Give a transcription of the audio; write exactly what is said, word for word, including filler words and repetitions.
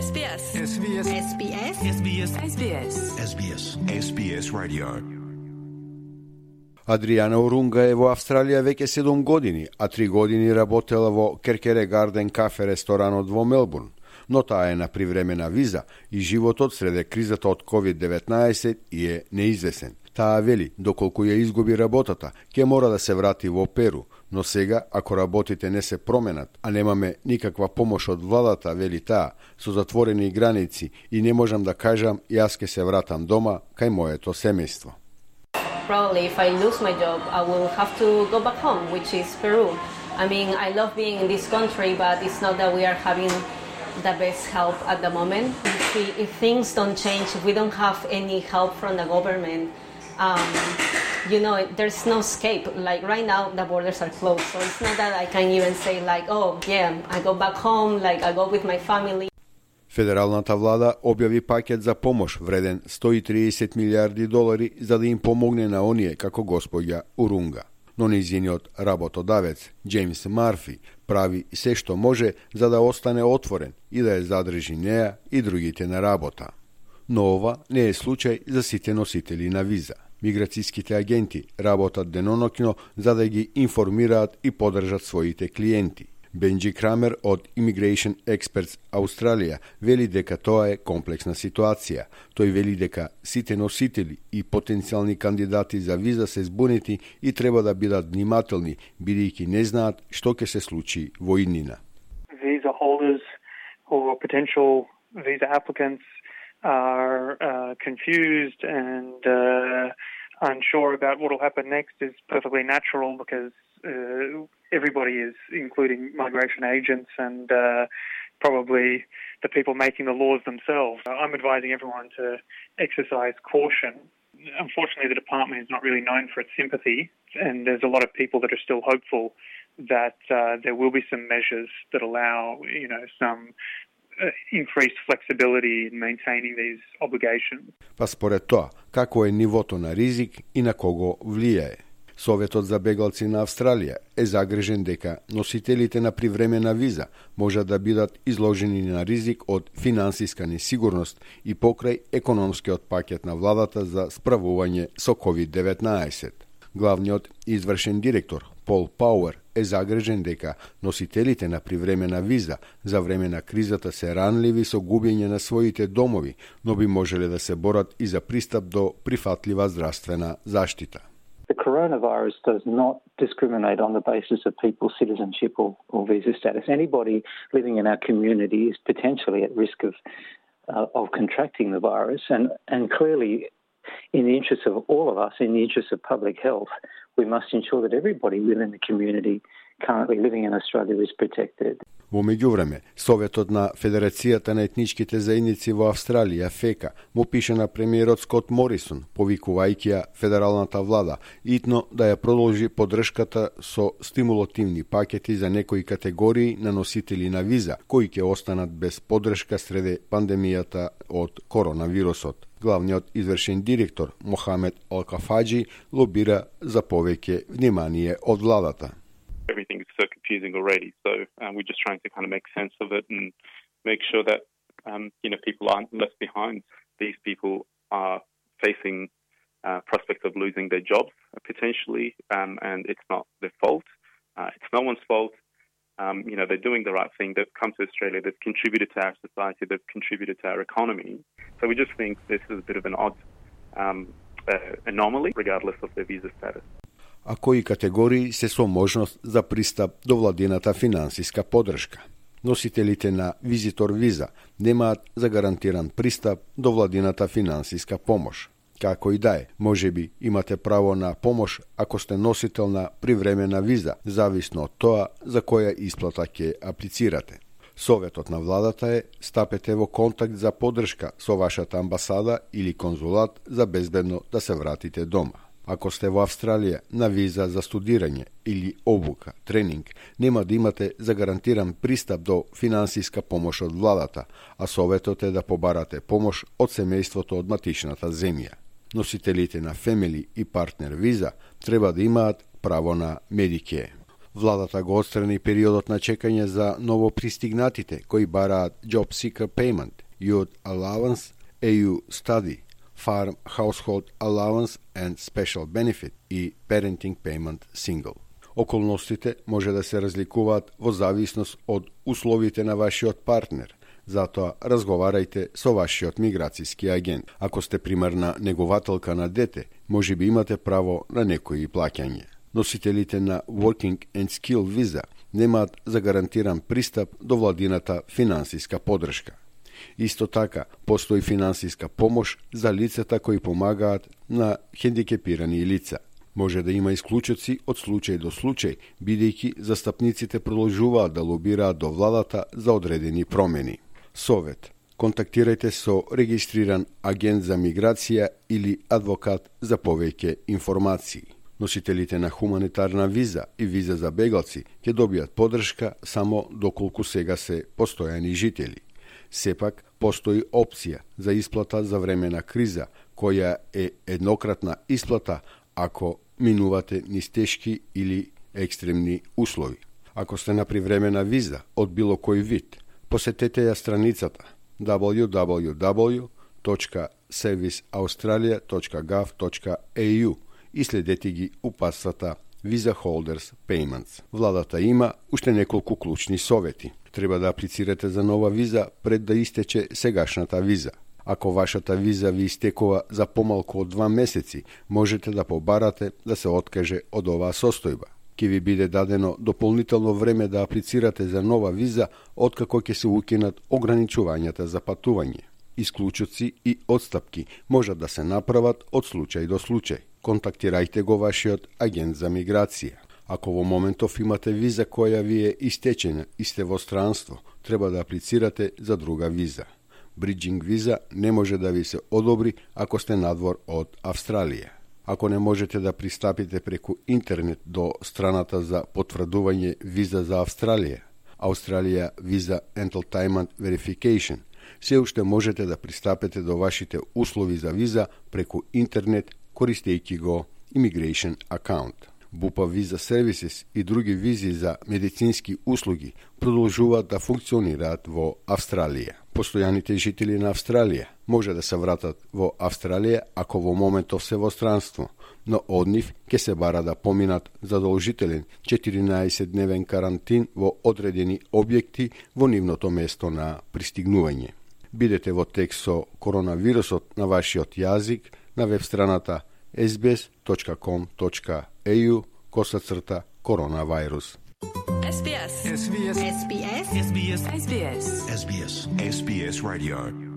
S B S. S B S. S B S. S B S. S B S. S B S. S B S Radio. Адријана Урунга е во Австралија веќе седум години, а три години работела во Керкере Гарден кафе ресторанот во Мелбурн, но таа е на привремена виза и животот среде кризата од ковид деветнаесет и е неизвесен. Таа вели, доколку ја изгуби работата, ќе мора да се врати во Перу, но сега, ако работите не се променат, а немаме никаква помош од владата, вели таа, со затворени граници и не можам да кажам, јас ќе се вратам дома кај моето семејство. Probably if I lose my job, I will have to go back home, which is Peru. I mean, I love being in this country, but it's not that we are having the best help at the moment. If, we, if things don't change, if we don't have any help from the government, um, you know, there's no escape. Like right now, the borders are closed, so it's not that I can even say like, oh, yeah, I go back home, like I go with my family. Федералната влада објави пакет за помош вреден сто и триесет милиарди долари за да им помогне на оние како господја Урунга. Но нејзиниот работодавец, Джеймс Марфи, прави се што може за да остане отворен и да ја задржи неа и другите на работа. Но ова не е случај за сите носители на виза. Миграцијските агенти работат деноноќно за да ги информираат и подржат своите клиенти. Бенджи Крамер од Immigration Experts Australia вели дека тоа е комплексна ситуација. Тој вели дека сите носители и потенцијални кандидати за виза се збунети и треба да бидат внимателни, бидејќи не знаат што ќе се случи во иднина. Visa holders or potential visa applicants are uh, confused and uh, unsure about what will happen next is perfectly natural because uh, everybody is, including migration agents and uh, probably the people making the laws themselves. I'm advising everyone to exercise caution. Unfortunately, the department is not really known for its sympathy, and there's a lot of people that are still hopeful that uh, there will be some measures that allow, you know, some uh, increased flexibility in maintaining these obligations. Па според тоа, како е нивото на ризик и на кого влијае? Советот за бегалци на Австралија е загрижен дека носителите на привремена виза можат да бидат изложени на ризик од финансиска несигурност и покрај економскиот пакет на владата за справување со ковид деветнаесет. Главниот извршен директор Пол Пауер е загрижен дека носителите на привремена виза за време на кризата се ранливи со губење на своите домови, но би можеле да се борат и за пристап до прифатлива здравствена заштита. The coronavirus does not discriminate on the basis of people's citizenship or, or visa status. Anybody living in our community is potentially at risk of uh, of contracting the virus, and, and clearly, in the interest of all of us, in the interest of public health, we must ensure that everybody within the community currently living in Australia is protected. Во меѓувреме, Советот на Федерацијата на етничките заедници во Австралија, ФЕКА, му пише на премиерот Скот Морисон, повикувајќи ја федералната влада, итно да ја продолжи поддршката со стимулативни пакети за некои категории на носители на виза, кои ќе останат без поддршка среде пандемијата од коронавирусот. Главниот извршен директор Мохамед Алкафаджи лобира за повеќе внимание од владата. Everything is so confusing already, so uh, we're just trying to kind of make sense of it and make sure that um, you know people aren't left behind. These people are facing uh, prospects of losing their jobs uh, potentially, um, and it's not their fault. Uh, it's no one's fault. Um, you know, they're doing the right thing. They've come to Australia. They've contributed to our society. They've contributed to our economy. So we just think this is a bit of an odd um, uh, anomaly, regardless of their visa status. А кои категории се со можност за пристап до владината финансиска поддршка. Носителите на визитор виза немаат загарантиран пристап до владината финансиска помош. Како и да е, можеби имате право на помош ако сте носител на привремена виза, зависно од тоа за која исплата ќе аплицирате. Советот на владата е стапете во контакт за поддршка со вашата амбасада или конзулат за безбедно да се вратите дома. Ако сте во Австралија на виза за студирање или обука, тренинг, нема да имате загарантиран пристап до финансиска помош од владата, а советот е да побарате помош од семејството од матичната земја. Носителите на фемили и партнер виза треба да имаат право на Medicare. Владата го отстрани периодот на чекање за новопристигнатите кои бараат Job Seeker Payment, Youth Allowance, E U Study, Farm Household Allowance and Special Benefit и Parenting Payment Single. Околностите може да се разликуваат во зависност од условите на вашиот партнер, затоа разговарајте со вашиот миграцијски агент. Ако сте примарна негователка на дете, може би имате право на некои плаќање. Носителите на Working and Skill Visa немаат загарантиран пристап до владината финансиска поддршка. Исто така, постои финансиска помош за лицата кои помагаат на хендикепирани лица. Може да има исклучоци од случај до случај, бидејќи застапниците продолжуваат да лобираат до владата за одредени промени. Совет: контактирајте со регистриран агент за миграција или адвокат за повеќе информации. Носителите на хуманитарна виза и виза за бегалци ќе добијат поддршка само доколку сега се постојани жители. Сепак, постои опција за исплата за време на криза, која е еднократна исплата ако минувате низ тешки или екстремни услови. Ако сте на привремена виза од било кој вид, посетете ја страницата дабљу дабљу дабљу точка сервис аустралија точка гав точка е ю и следете ги упатствата Visa Holders Payments. Владата има уште неколку клучни совети. Треба да аплицирате за нова виза пред да истече сегашната виза. Ако вашата виза ви истекува за помалку од два месеци, можете да побарате да се откаже од оваа состојба. Ке ви биде дадено дополнително време да аплицирате за нова виза откако ќе се укинат ограничувањата за патување. Исклучоци и отстапки можат да се направат од случај до случај. Контактирајте го вашиот агент за миграција. Ако во моментов имате виза која ви е истечена и сте во странство, треба да аплицирате за друга виза. Бриджинг виза не може да ви се одобри ако сте надвор од Австралија. Ако не можете да пристапите преку интернет до страната за потврдување виза за Австралија, Australia Visa Entitlement Verification, се уште можете да пристапите до вашите услови за виза преку интернет користејќи го Immigration Account. Бупа Visa Services и други визи за медицински услуги продолжуваат да функционираат во Австралија. Постојаните жители на Австралија може да се вратат во Австралија ако во моментов се во странство, но од нив ќе се бара да поминат задолжителен четиринаесетдневен карантин во одредени објекти во нивното место на пристигнување. Бидете во текст со коронавирусот на вашиот јазик на веб страната ес би ес точка ком точка е ю косацрта коронавирус. ес би ес. ес би ес. ес би ес. ес би ес. ес би ес. ес би ес. ес би ес Radio.